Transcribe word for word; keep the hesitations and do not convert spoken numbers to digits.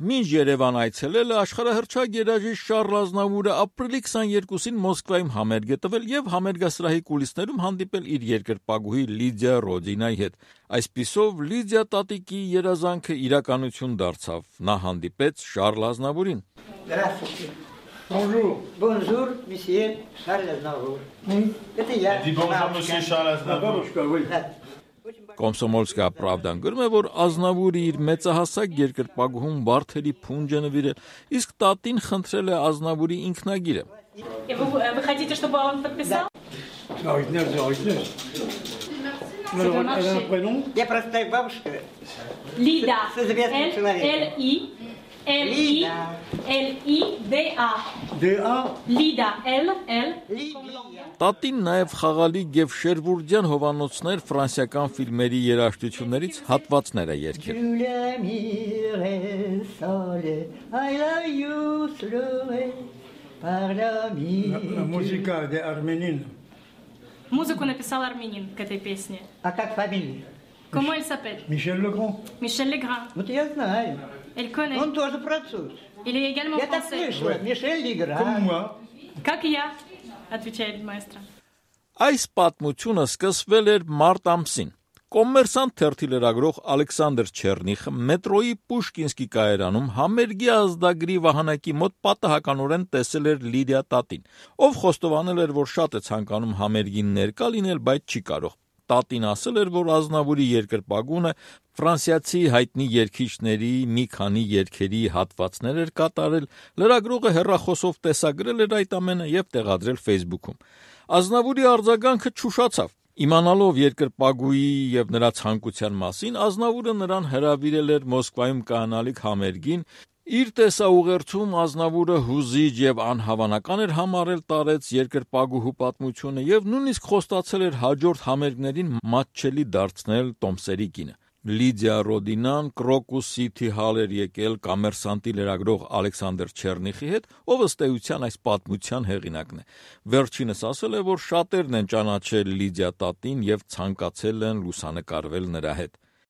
Մինչ Երևան այցելելը աշխարհահռչակ երաժիշտ Շառլ Ազնավուրը ապրիլի քսաներկուսին Մոսկվայում համերգ է տվել եւ համերգասրահի կուլիսներում հանդիպել իր երկրպագուհի Լիդիա Ռոդինայի հետ։ Այսպիսով Լիդիա տատիկի երազանքը իրականություն դարձավ։ Նա հանդիպեց Շառլ Ազնավուրին։ Bonjour. Bonjour, monsieur Charles Aznavour. Это я. Dis bonjour, monsieur Charles Aznavour. Oui. Կոմսոմոլսկա Պրավդան գրում է, որ Ազնավուրը իր մեծահասակ երկրպագուհուն Վարդերի փունջ է նվիրել, իսկ տատին խնդրել է Ազնավուրի ինքնագիրը։ И вы, вы хотите, чтобы он подписал? Оригинал, оригинал. Elle a un prénom? Я простая бабушка. Лида. С известным человеком. L-I. L-I. L-I-D-A. D-A? Լիդա, L, L. Տատին նաև խաղալի եւ շերվուրդյան հովանոցներ ֆրանսիական ֆիլմերի երաժշտություններից հատվածներ է երգել։ La musica de Arménine. Музыку написал армянин к этой песне. А как фамилия? Comment elle s'appelle? Michel Legrand. Michel Legrand. Вот я знаю. Elle connaît. Он тоже француз. Il est également Я так français. слышала. Мишель Легран. Comme moi. Как и я, отвечает маэстро. Այս պատմությունը սկսվել էր մարտ ամսին։ Կոմերսանտ թերթի լրագրող Ալեքսանդր Չեռնիխը մետրոյի Պուշկինսկի կայարանում համերգի ազդագրի վահանակի մոտ պատահականորեն տեսել էր Լիդիա տատին, ով խոստովանել էր, որ շատ է ցանկանում համերգին ներկա լինել, բայց չի կարող։ Տատին ասել էր, որ Ազնավուրի երկրպագունը ֆրանսիացի հայտնի երգիչների մի քանի երգերի հատվածներ էր կատարել, լրագրողը հեռախոսով տեսագրել էր այդ ամենը եւ տեղադրել Facebook-ում։ Ազնավուրի արձագանքը չուշացավ։ Իմանալով երկրպագուի եւ նրա ցանկության մասին, Ազնավուրը նրան հրավիրել էր Մոսկվայում կայանալիք համերգին։ Իր տեսաուղերձում Ազնավուրը հուզիչ եւ անհավանական էր համարել տարեց երկրպագուհու պատմությունը եւ նույնիսկ խոստացել էր հաջորդ համերգներին մատչելի դարձնել Տոմսերի կինը։ Լիդիա Ռոդինան Կրոկուս City Hall էր եկել կոմերսանտի լրագրող Ալեքսանդր Չեռնիխի հետ, ով ըստ էության այս պատմության հեղինակն է։ Վերջինս ասել է, որ շատերն են ճանաչել Լիդիա տատին եւ ցանկացել են լուսանկարվել նրա հետ։